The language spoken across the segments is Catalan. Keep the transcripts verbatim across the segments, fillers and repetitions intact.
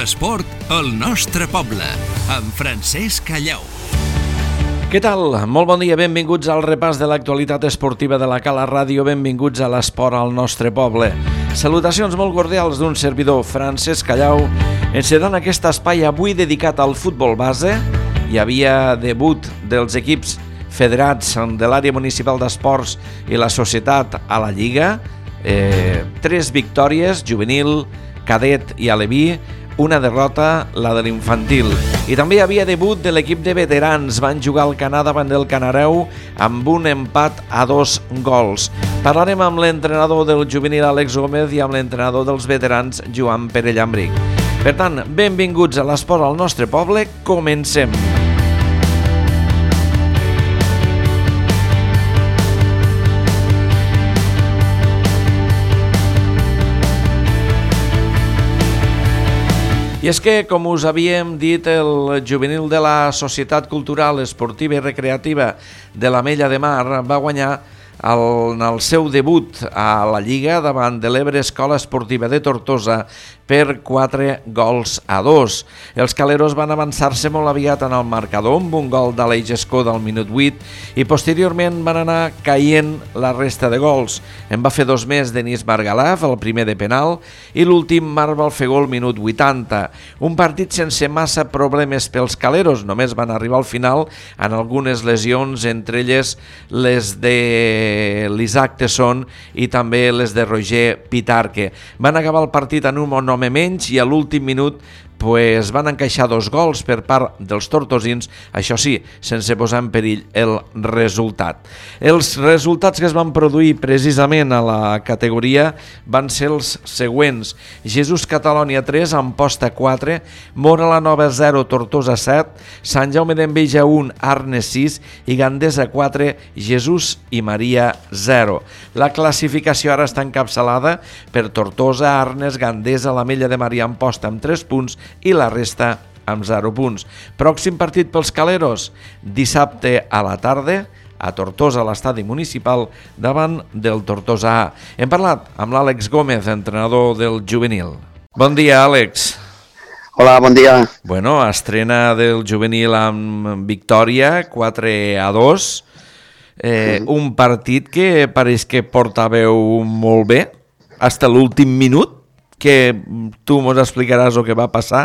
L'esport al nostre poble, amb Francesc Callau. Què tal? Molt bon dia, benvinguts al repàs de l'actualitat esportiva de la Cala Ràdio, benvinguts a l'esport al nostre poble. Salutacions molt cordials d'un servidor, Francesc Callau, encedant aquest espai avui dedicat al futbol base. Hi havia debut dels equips federats de l'àrea municipal d'esports i la societat a la Lliga, eh, tres victòries, juvenil, cadet i aleví, una derrota, la de l'infantil. I també hi havia debut de l'equip de veterans. Van jugar al Canà davant del Canareu amb un empat a dos gols. Parlarem amb l'entrenador del juvenil, Àlex Gómez, i amb l'entrenador dels veterans, Joan Pere Llambric. Per tant, benvinguts a l'esport al nostre poble. Comencem. I és que, com us havíem dit, el juvenil de la Societat Cultural, Esportiva i Recreativa de l'Ametlla de Mar va guanyar el, en el seu debut a la Lliga davant de l'Ebre Escola Esportiva de Tortosa per quatre gols a dos. Els caleros van avançar-se molt aviat en el marcador amb un gol d'Aleix Escó del minut vuit i posteriorment van anar caient la resta de gols. En va fer dos més Denis Margalaf, el primer de penal, i l'últim Marc Balfegó al minut vuitanta. Un partit sense massa problemes pels caleros, només van arribar al final en algunes lesions, entre elles les de l'Isaac Tesson i també les de Roger Pitarque. Van acabar el partit en un home menys i a l'últim minut pues, van encaixar dos gols per part dels tortosins, això sí, sense posar en perill el resultat. Els resultats que es van produir precisament a la categoria van ser els següents: Jesús Catalònia tres, Amposta quatre, Móra la Nova zero, Tortosa set, Sant Jaume d'Enveja un, Arnes sis i Gandesa quatre, Jesús i Maria zero. La classificació ara està encapçalada per Tortosa, Arnes, Gandesa, l'Ametlla de Mar i Amposta amb tres punts i la resta amb zero punts. Pròxim partit pels caleros, dissabte a la tarda a Tortosa, a l'estadi municipal, davant del Tortosa A. Hem parlat amb l'Àlex Gómez, entrenador del juvenil. Bon dia, Àlex. Hola, bon dia. Bueno, estrena del juvenil amb victòria, quatre a dos. Eh, mm. Un partit que pareix que portàveu molt bé, fins a l'últim minut, que tu mos explicaràs el que va passar,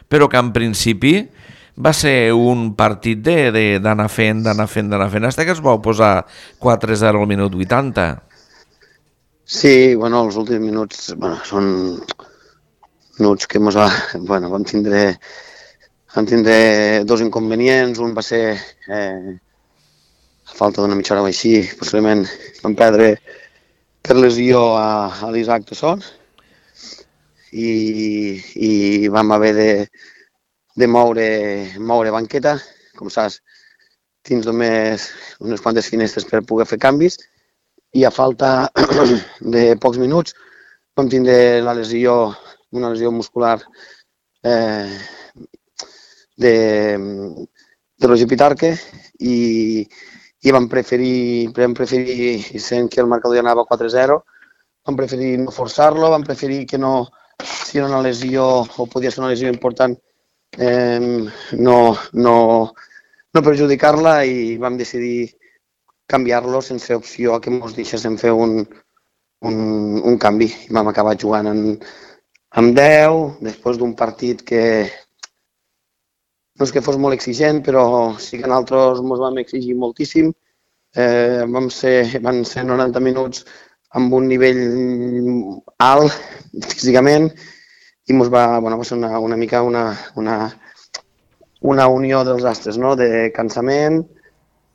però que en principi va ser un partit d'anar fent, d'anar fent, d'anar fent, fins que es vau posar quatre a zero al minut vuitanta. Sí, bueno, els últims minuts bueno, són minuts que mos va, bueno, vam tindre, vam tindre dos inconvenients. Un va ser eh, a falta d'una mitja hora o així, possiblement vam perdre per lesió a, a l'Isaac Tesson, I, i vam haver de, de moure, moure banqueta, com saps, tens només unes quantes finestres per poder fer canvis, i a falta de pocs minuts vam tindre la lesió, una lesió muscular eh, de, de Roger Pitarque i, i vam preferir, vam preferir, sent que el marcador ja anava quatre a zero, vam preferir no forçar-lo, vam preferir que no, si era una lesió o podia ser una lesió important, eh, no, no, no perjudicar-la, i vam decidir canviar-lo sense opció a que ens deixéssim fer un, un, un canvi. Vam acabar jugant en, amb deu, després d'un partit que no és que fos molt exigent, però sí que nosaltres ens vam exigir moltíssim. Eh, vam ser, van ser noranta minuts amb un nivell alt físicament, i mos va, bueno, va ser una, una mica una, una, una unió dels astres, no? De cansament,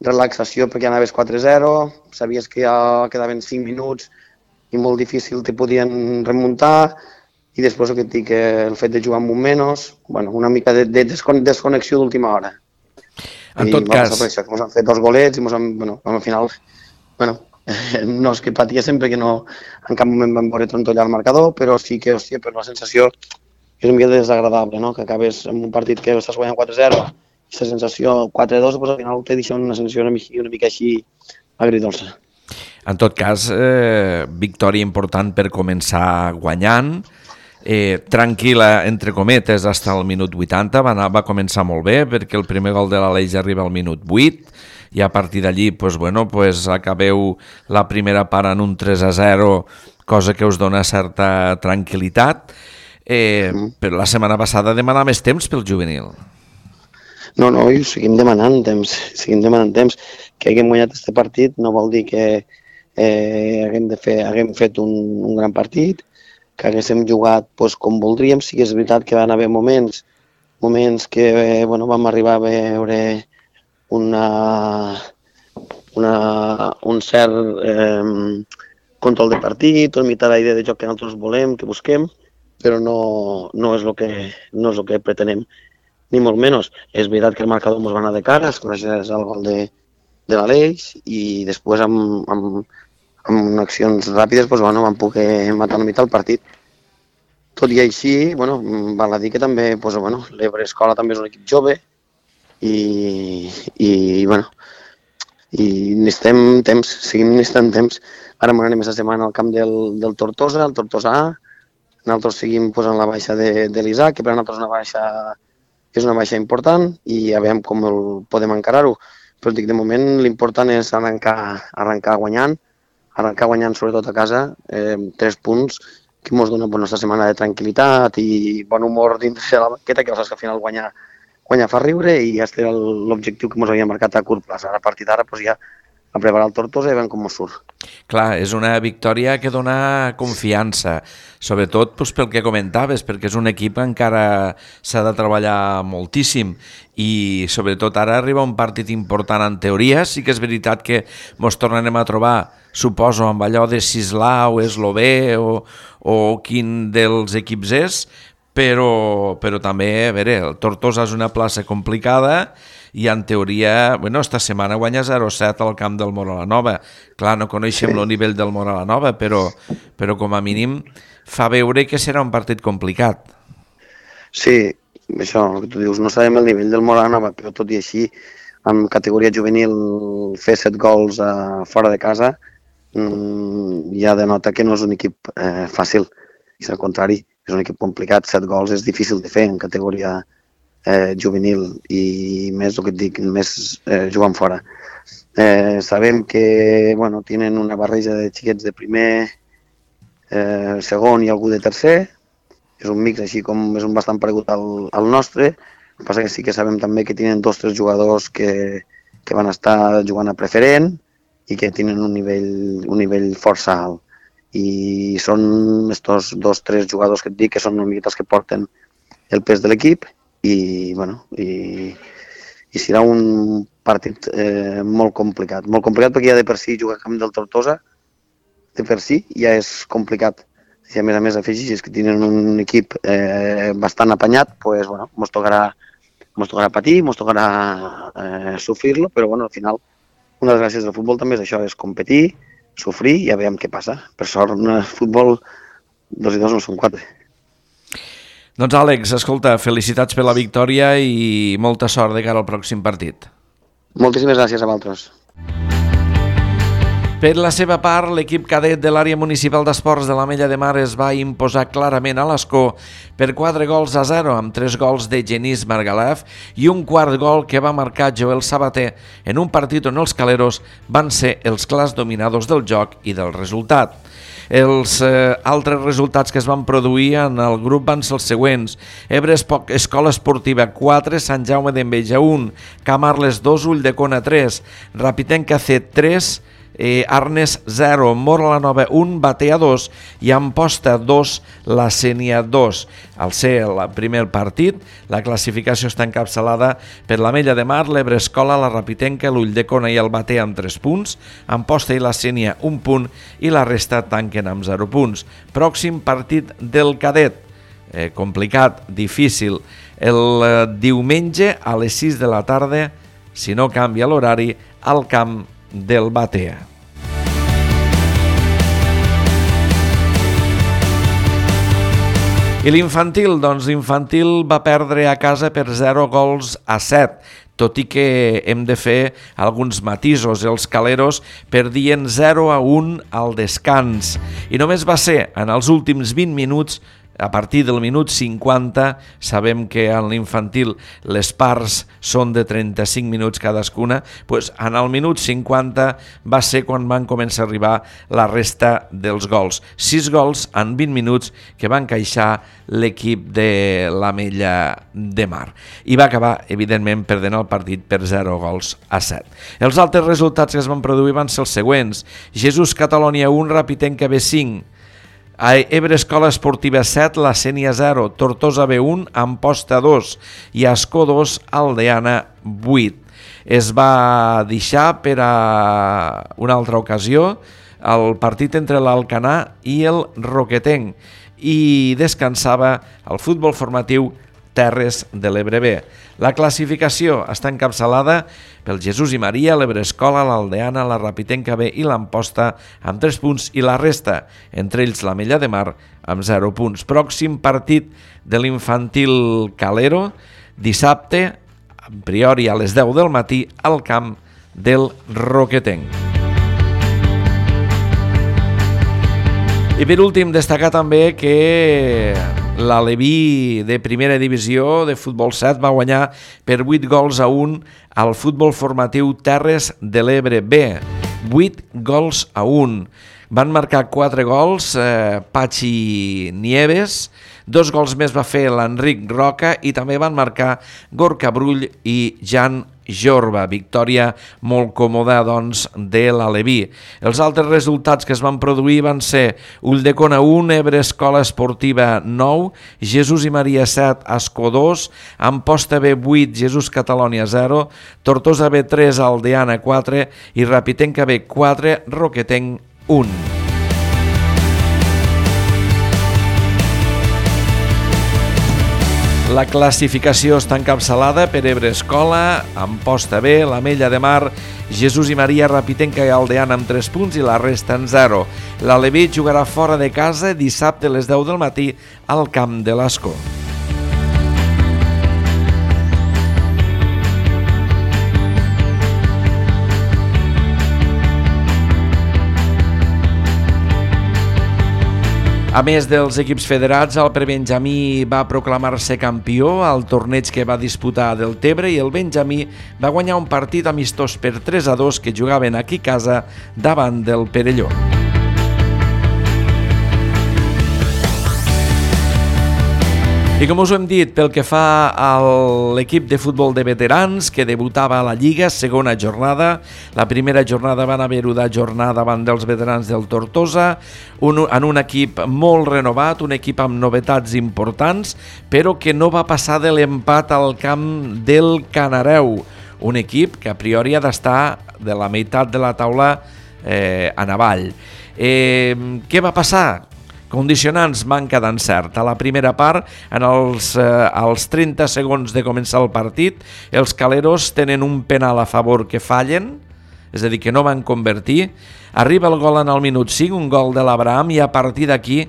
relaxació perquè anaves quatre a zero, sabies que ja quedaven cinc minuts i molt difícil te podien remuntar, i després el que et dic, el fet de jugar amb un menys, bueno, una mica de, de desconnexió d'última hora. En I tot cas... Això, que ens han fet dos golets i ens han, bueno, al final, bueno, no és que patiéssim perquè no, en cap moment vam veure trontollar el marcador, però sí que, hòstia, per la sensació és una mica desagradable, no? Que acabes en un partit que estàs guanyant quatre a zero, i aquesta sensació quatre a dos, pues, al final te deixa una sensació una mica, una mica així agridolça. En tot cas, eh, victòria important per començar guanyant, eh, tranquil·la, entre cometes, fins al minut vuitanta, va, anar, va començar molt bé, perquè el primer gol de l'Aleix arriba al minut vuit, i a partir d'allí, pues, bueno, pues, acabeu la primera part en un tres a zero, cosa que us dona certa tranquil·litat, eh, però la setmana passada demanava més temps pel juvenil. No, no, i seguim demanant temps, seguim demanant temps. Que haguem guanyat aquest partit no vol dir que eh, haguem, de fer, haguem fet un, un gran partit, que haguéssim jugat pues, com voldríem. Sí que és veritat que van haver moments, moments que eh, bueno, vam arribar a veure una, una, un cert eh, control de partit, una mica la idea de joc que nosaltres volem, que busquem, però no, no, és el que, no és el que pretenem, ni molt menys. És veritat que el marcador ens va anar de cara, es coneixés el gol de, de l'Aleix, i després amb, amb, amb accions ràpides doncs, bueno, vam poder matar una mica el partit. Tot i així, bueno, val a dir que també doncs, bueno, l'Ebre Escola també és un equip jove i, i, bueno, i necessitem temps, seguim necessitant temps. Ara m'anem aquesta setmana al camp del, del Tortosa, el Tortosa A. Nosaltres seguim pues, en la baixa de, de l'Isaac, que per a nosaltres una baixa, és una baixa important, i a veure com el podem encarar-ho. Però dic, de moment l'important és arrencar, arrencar guanyant, arrencar guanyant sobretot a casa, eh, tres punts que ens donen una setmana de tranquil·litat i bon humor dins de la banqueta, que saps que al final guanyar, guanyar fa riure, i aquest era l'objectiu que ens havia marcat a curt plaç. Ara, a partir d'ara, pues, ja a preparar el Tortosa i veiem com ens surt. Clar, és una victòria que dona confiança, sobretot doncs, pel que comentaves, perquè és un equip que encara s'ha de treballar moltíssim, i sobretot ara arriba un partit important en teoria. Sí que és veritat que ens tornarem a trobar, suposo, amb allò de Sislau, Eslové o, o quin dels equips és, però, però també, a veure, el Tortosa és una plaça complicada, i en teoria, bueno, esta setmana guanya zero set al camp del Mora-la-Nova. Clar, no coneixem el nivell del Mora-la-Nova, però, però com a mínim fa veure que serà un partit complicat. Sí, això, el que tu dius, no sabem el nivell del Mora-la-Nova, però tot i així, en categoria juvenil, fer set gols eh, fora de casa mmm, ja denota que no és un equip eh, fàcil. És al contrari, és un equip complicat. Set gols és difícil de fer en categoria Eh, juvenil, i més el que et dic, més eh, jugant fora. Eh, sabem que bueno, tenen una barreja de xiquets de primer, eh, segon i algú de tercer. És un mix així com és un bastant paregut al, al nostre. El que passa que sí que sabem també que tenen dos o tres jugadors que, que van estar jugant a preferent i que tenen un nivell, un nivell força alt. I són estos dos o tres jugadors que et dic que són una miqueta els que porten el pes de l'equip. I, bueno, i, i serà un partit eh, molt complicat. Molt complicat perquè ja de per si jugar al camp del Tortosa, de per si ja és complicat. Si a més a més afegis que tenen un equip eh, bastant apanyat, pues, bueno, mos tocarà, mos tocarà patir, mos tocarà eh, sofrir-lo, però bueno, al final una de les gràcies del futbol també és això, és competir, sofrir i ja veiem què passa. Per sort, en el futbol, dos i dos no són quatre. Doncs Àlex, escolta, felicitats per la victòria i molta sort de cara al pròxim partit. Moltíssimes gràcies a vosaltres. Per la seva part, l'equip cadet de l'àrea municipal d'esports de l'Ametlla de Mar es va imposar clarament a l'Escó per quatre gols a zero, amb tres gols de Genís Margalef i un quart gol que va marcar Joel Sabater en un partit on els caleros van ser els clars dominadors del joc i del resultat. Els eh, altres resultats que es van produir en el grup van ser els següents: Ebre Escola Esportiva quatre, Sant Jaume d'Enveja un, Camarles dos, Ulldecona tres, Rapitenca C tres, eh, Arnes zero, Mora-la-Nova un, Batea dos i Amposta dos, la Sénia dos. Al ser el primer partit, la classificació està encapçalada per l'Ametlla de Mar, l'Ebre Escola, la Rapitenca, l'Ulldecona i el Batea amb tres punts, Amposta i la Sénia un punt i la resta tanquen amb zero punts. Pròxim partit del cadet, eh, complicat, difícil, el eh, diumenge a les sis de la tarda, si no canvia l'horari, al camp del Batea. I l'infantil, doncs l'infantil va perdre a casa per zero gols a set, tot i que hem de fer alguns matisos. Els caleros perdien zero a un al descans i només va ser en els últims vint minuts a partir del minut cinquanta, sabem que en l'infantil les parts són de trenta-cinc minuts cadascuna, doncs en el minut cinquanta va ser quan van començar a arribar la resta dels gols. Sis gols en vint minuts que van encaixar l'equip de l'Ametlla de Mar. I va acabar, evidentment, perdent el partit per zero gols a set. Els altres resultats que es van produir van ser els següents. Jesús Catalònia un, Rapitenca B cinc, a Ebre Escola Esportiva set, La Sénia zero, Tortosa B un, Amposta dos i Ascó dos, Aldeana vuit. Es va deixar per a una altra ocasió el partit entre l'Alcanar i el Roquetenc i descansava el futbol formatiu Terres de l'Ebre B. La classificació està encapçalada pel Jesús i Maria, l'Ebre Escola, l'Aldeana, la Rapitenca B i l'Amposta amb tres punts i la resta, entre ells l'Ametlla de Mar amb zero punts. Pròxim partit de l'infantil Calero, dissabte, a priori a les deu del matí, al camp del Roquetenc. I per últim, destacar també que l'Aleví de primera divisió de futbol set va guanyar per vuit gols a un al futbol formatiu Terres de l'Ebre B. vuit gols a un. Van marcar quatre gols eh, Pachi Nieves, dos gols més va fer l'Enric Roca i també van marcar Gorka Brull i Jan Jorba. Victòria molt còmoda, doncs, de l'Aleví. Els altres resultats que es van produir van ser Ulldecona un, Ebre Escola Esportiva nou, Jesús i Maria set, Ascó dos, Amposta B vuit, Jesús Catalònia zero, Tortosa B tres, Aldeana quatre i Rapitenca B quatre, Roquetenc un. La classificació està encapçalada per Ebre Escola, Amposta B, l'Ametlla de Mar, Jesús i Maria, Rapitenca i Aldeana amb tres punts i la resta en zero. L'Aleví jugarà fora de casa dissabte a les deu del matí al camp de l'Ascó. A més dels equips federats, el prebenjamí va proclamar-se campió al torneig que va disputar a Deltebre i el benjamí va guanyar un partit amistós per tres a dos que jugaven aquí a casa davant del Perelló. I com us ho hem dit, pel que fa a l'equip de futbol de veterans que debutava a la Lliga, segona jornada, la primera jornada van haver-ho d'ajornar davant dels veterans del Tortosa, un, en un equip molt renovat, un equip amb novetats importants, però que no va passar de l'empat al camp del Canareu, un equip que a priori ha d'estar de la meitat de la taula eh, en avall. Eh, què va passar? Condicionants, manca d'encert. A la primera part, en els, eh, als trenta segons de començar el partit, els caleros tenen un penal a favor que fallen, és a dir, que no van convertir. Arriba el gol en el minut cinc, un gol de l'Abraham, i a partir d'aquí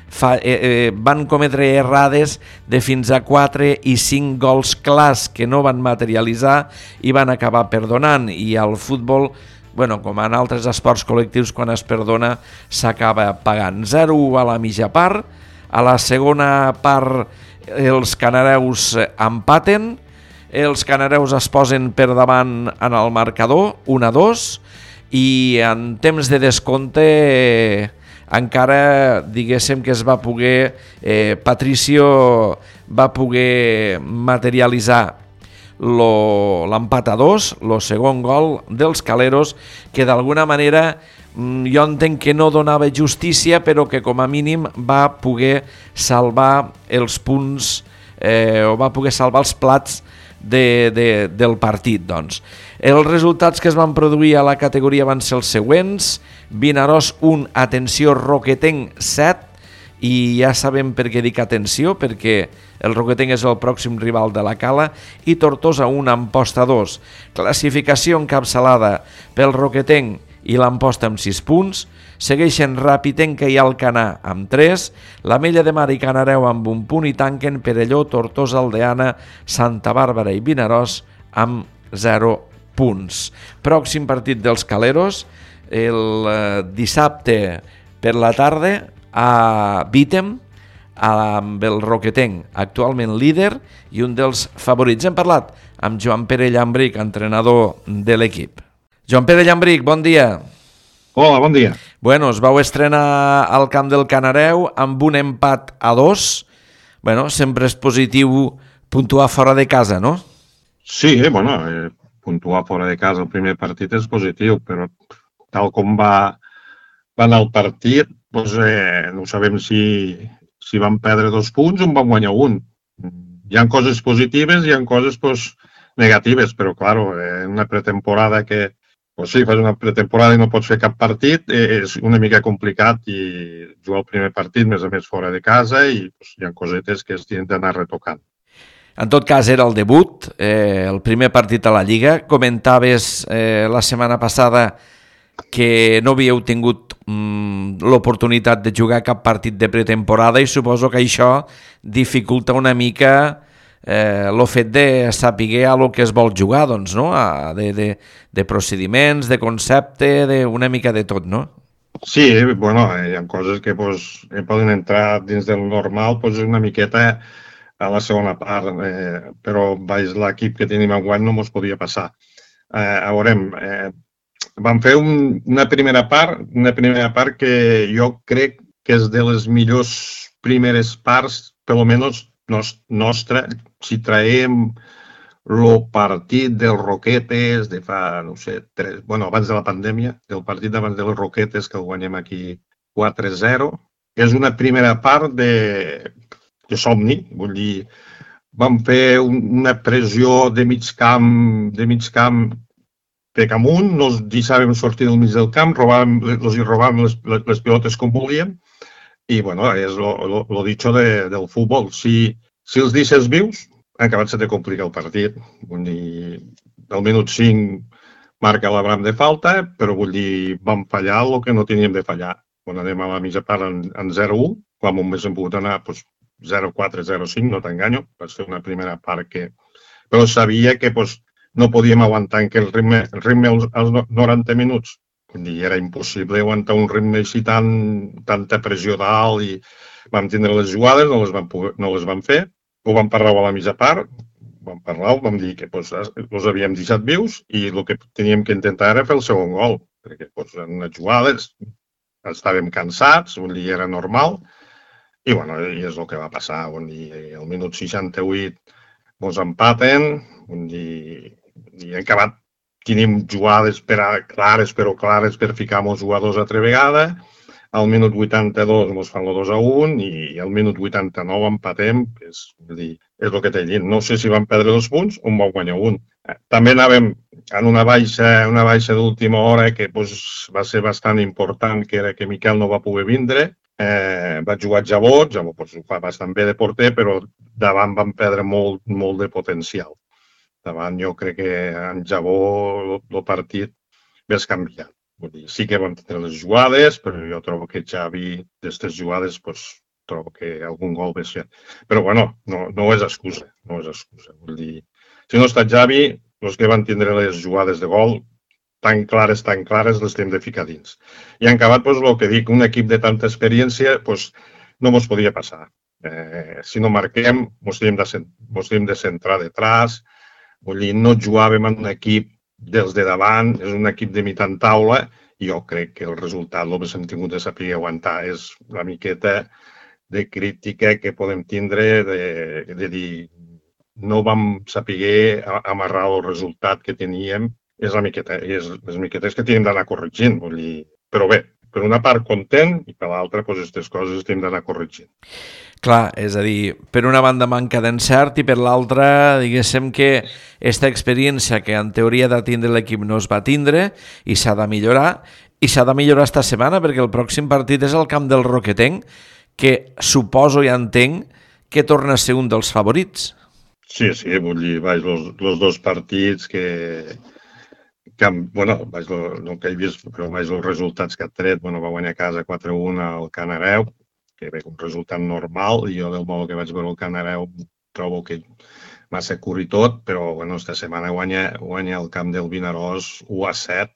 fa, eh, eh, van cometre errades de fins a quatre i cinc gols clars que no van materialitzar i van acabar perdonant. I el futbol, bueno, com en altres esports col·lectius, quan es perdona s'acaba pagant. zero a la mitja part, a la segona part els canareus empaten, els canareus es posen per davant en el marcador, un a dos, i en temps de descompte eh, encara diguéssim que es va poder, eh, Patricio va poder materialitzar l'empat a dos, el segon gol dels caleros, que d'alguna manera jo entenc que no donava justícia, però que com a mínim va poder salvar els punts eh, o va poder salvar els plats de, de, del partit. Doncs. Els resultats que es van produir a la categoria van ser els següents: Vinaròs un, atenció, Roquetenc set, i ja sabem per què dic atenció, perquè el Roquetenc és el pròxim rival de la Cala, i Tortosa un, Amposta dos. Classificació encapçalada pel Roquetenc i l'Amposta amb sis punts, segueixen Rapitenca i Alcanar amb tres, l'Ametlla de Mar i Canareu amb un punt i tanquen Perelló, Tortosa, Aldeana, Santa Bàrbara i Vinaròs amb zero punts. Pròxim partit dels caleros, el eh, dissabte per la tarda, a Vítem, amb el Roquetenc, actualment líder i un dels favorits. Hem parlat amb Joan Pere Llambric, entrenador de l'equip. Joan Pere Llambric, bon dia. Hola, bon dia. Bueno, es vau estrenar al camp del Canareu amb un empat a dos. Bueno, sempre és positiu puntuar fora de casa, no? Sí, eh, bueno, eh, puntuar fora de casa el primer partit és positiu, però tal com va, va anar el partit, doncs, eh, no sabem si, si van perdre dos punts o en van guanyar un. Hi ha coses positives i hi ha coses pues, negatives, però, clar, en una pretemporada que, pues, sí, fas una pretemporada i no pots fer cap partit, eh, és una mica complicat i jugar el primer partit, més a més, fora de casa i pues, hi ha cosetes que es tenen d'anar retocant. En tot cas, era el debut, eh, el primer partit a la Lliga. Comentaves eh, la setmana passada que no havíeu tingut mm, l'oportunitat de jugar cap partit de pretemporada i suposo que això dificulta una mica eh, el fet de saber a lo que es vol jugar, doncs, no? A, de, de, de procediments, de concepte, de una mica de tot, no? Sí, bueno, hi ha coses que pues, poden entrar dins del normal pues, una miqueta a la segona part, eh, però baix l'equip que tenim enguany no mos podia passar. Eh, a veure, eh, vam fer un, una primera part, una primera part que jo crec que és de les millors primeres parts, per almenys nostra, si traiem el partit dels Roquetes de fa, no sé, tres, bueno, abans de la pandèmia, del partit abans dels Roquetes, que el guanyem aquí quatre zero, és una primera part de, de somni, vull dir, vam fer un, una pressió de mig camp, de mig camp per amunt, no els deixàvem sortir del mig del camp, robàvem, els hi robàvem les, les, les pilotes com volíem, i, bueno, és el dicho de, del futbol. Si, si els deixes vius, acabat se te complica el partit. Vull dir, al minut cinc marca l'Abram de falta, però vull dir, vam fallar el que no teníem de fallar. Quan anem a la mitja part en, en zero u, quan només hem pogut anar pues, zero quatre, zero cinc, no t'enganyo, va ser una primera part que... Però sabia que pues, no podíem aguantar que el ritme, el ritme als, als noranta minuts. Vull dir, era impossible aguantar un ritme així tan, tanta pressió dalt i vam tindre les jugades, no les vam, poder, no les vam fer. Ho vam parlar a la mitja part, vam parlar, vam dir que pues, els havíem deixat vius i el que teníem que intentar era fer el segon gol, perquè pues, en unes jugades estàvem cansats, vull dir, era normal, i, bueno, i és el que va passar. Vull dir, al minut seixanta-vuit ens empaten, vull dir, i hem acabat, tenim jugades per a, clares, però clares per ficar els jugadors altra vegada. Al minut vuitanta-dos ens fan el dos a un i al minut vuitanta-nou empatem. És, dir, és el que t'he dit. No sé si vam perdre dos punts o en vam guanyar un. També anàvem en una baixa, una baixa d'última hora que pues, va ser bastant important, que era que Miquel no va poder vindre. Eh, va jugar Jabot, Jabot pues, ho fa bastant bé de porter, però davant vam perdre molt, molt de potencial. Davant jo crec que en Jabot el partit ves canviat. Vull dir, sí que vam tenir les jugades, però jo trobo que Xavi, d'aquestes jugades, pues, trobo que algun gol ve ser. Però, bueno, no, no és excusa, no és excusa. Vull dir, si no està Xavi, els que van tindre les jugades de gol, tan clares, tan clares, les hem de ficar dins. I en acabat, pues, el que dic, un equip de tanta experiència, pues, no mos podia passar. Eh, si no marquem, mos hem de, mos hem de centrar detrás. Vull dir, no jugàvem en un equip dels de davant, és un equip de mitjan taula i jo crec que el resultat el que hem tingut de saber aguantar és la miqueta de crítica que podem tindre de, de dir no vam saber amarrar el resultat que teníem, és la miqueta, és les miquetes que tenim d'anar corregint, vull dir, però bé, per una part content i per l'altra, doncs, aquestes coses tenim d'anar corregint. Clar, és a dir, per una banda manca d'encert i per l'altra, diguéssim que aquesta experiència que en teoria ha de tindre l'equip no es va tindre i s'ha de millorar, i s'ha de millorar esta setmana perquè el pròxim partit és el camp del Roquetenc, que suposo i entenc que torna a ser un dels favorits. Sí, sí, vull dir, vaig, els, els dos partits que, que bueno, vaig, no que he vist, però vaig, els resultats que ha tret, bueno, va guanyar a casa quatre a un al Canareu, que ve un resultat normal, i jo del modo que vaig veure el Canareu trobo que massa curt i tot, però bueno, esta setmana guanya, guanya el camp del Vinaròs u a set,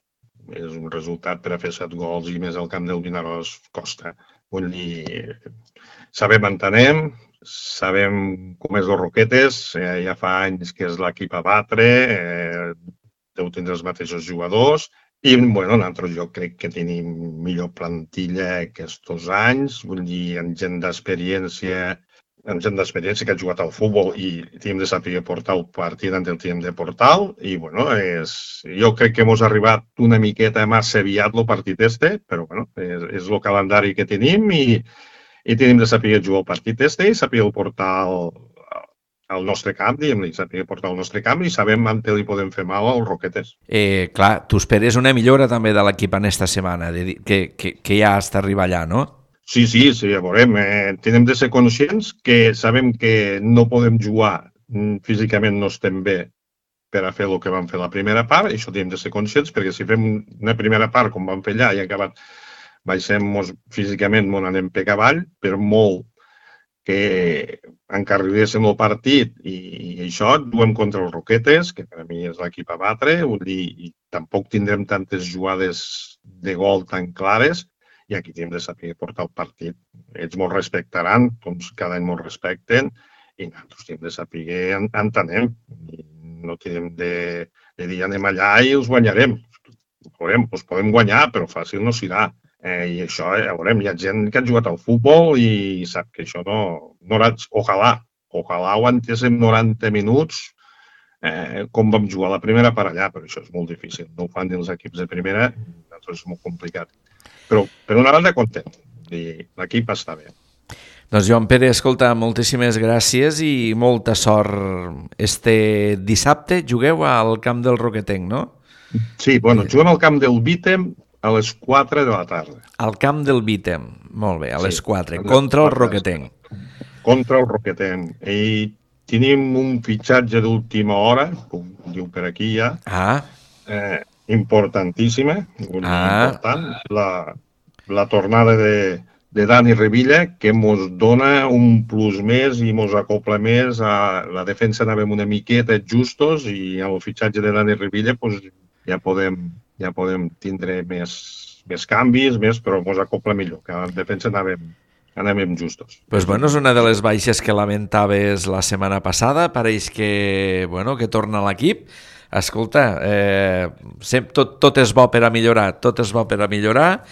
és un resultat per a fer set gols i més al camp del Vinaròs costa. Vull dir, sabem, entenem, sabem com és els Roquetes, eh, ja fa anys que és l'equip a batre, eh, deu tindre els mateixos jugadors, i bueno, nosaltres jo crec que tenim millor plantilla aquests anys, vull dir, amb gent d'experiència, amb gent d'experiència que ha jugat al futbol i tenim de saber portar el partit on el tenim de portar, i bueno, és, jo crec que hemos arribat una miqueta massa aviat el partit este, però bueno, és, és el calendari que tenim i, i tenim de saber jugar el partit este i saber portar el, al nostre camp, diguem-li, saber portar al nostre camp i sabem on li podem fer mal als Roquetes. Eh, clar, tu esperes una millora també de l'equip en esta setmana, de, que, que, que ja està arriba allà, no? Sí, sí, sí, ja veurem. Eh, tenim de ser conscients que sabem que no podem jugar, físicament no estem bé per a fer el que vam fer la primera part, i això tenim de ser conscients, perquè si fem una primera part com vam fer allà i acabat baixem físicament, on anem per avall, per molt que encarriléssim el partit i, i això, duem contra els Roquetes, que per a mi és l'equip a batre, vull dir, i tampoc tindrem tantes jugades de gol tan clares, i aquí tenim de saber portar el partit. Ells molt respectaran, doncs cada any molt respecten, i nosaltres tenim de saber entenem. No tenim de, de dir anem allà i els guanyarem. Veurem, els podem guanyar, però fàcil no serà. Eh, I això, ja veurem, hi ha gent que ha jugat al futbol i sap que això no... no ojalà, ojalà aguantéssim noranta minuts eh, com vam jugar la primera per allà, però això és molt difícil. No ho fan dins els equips de primera, doncs és molt complicat. Però, per una banda, content. L'equip està bé. Doncs Joan Pere, escolta, moltíssimes gràcies i molta sort. Este dissabte jugueu al camp del Roquetenc, no? Sí, bueno, juguem al camp del Vítem a les quatre de la tarda. Al camp del Vítem, molt bé, a les quatre, contra el Roquetenc. Contra el Roquetenc. I tenim un fitxatge d'última hora, com diu per aquí ja, Ah, eh, importantíssima, Ah. important, la, la tornada de, de Dani Revilla, que ens dona un plus més i ens acopla més a la defensa. Anàvem una miqueta justos i amb el fitxatge de Dani Revilla pues, ja, podem, ja podem tindre més, més canvis, més, però ens acopla millor, que a la defensa anàvem, anàvem justos. pues bueno, és una de les baixes que lamentaves la setmana passada, pareix que, bueno, que torna a l'equip. Escolta, eh, tot, tot és bo per a millorar, tot és bo per a millorar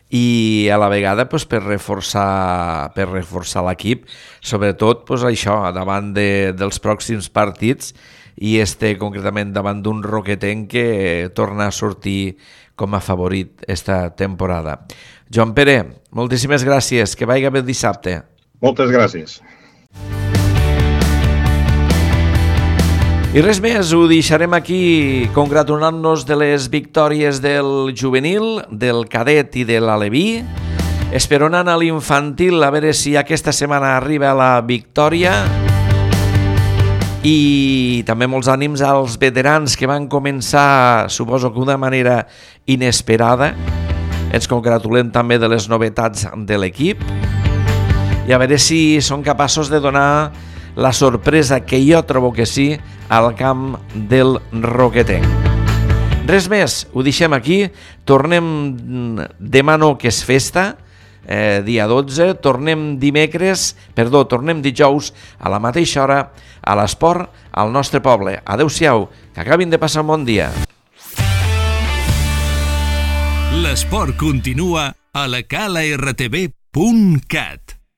i a la vegada pues, per reforçar, per reforçar l'equip, sobretot pues, això, davant de, dels pròxims partits i este concretament davant d'un Roquetenc que torna a sortir com a favorit esta temporada. Joan Pere, moltíssimes gràcies, que vagi bé el dissabte. Moltes gràcies. I res més, ho deixarem aquí congratulant-nos de les victòries del juvenil, del cadet i de l'aleví, esperonant a l'infantil a veure si aquesta setmana arriba la victòria i també molts ànims als veterans que van començar, suposo que d'una manera inesperada. Ens congratulem també de les novetats de l'equip i a veure si són capaços de donar la sorpresa, que jo trobo que sí, al camp del Roquetenc. Res més, ho deixem aquí, tornem demà no, que és festa, eh, dia dotze, tornem dimecres, perdó, tornem dijous a la mateixa hora a l'esport al nostre poble. Adéu-siau, que acabin de passar un bon dia. L'esport continua a la cala r t v punt cat.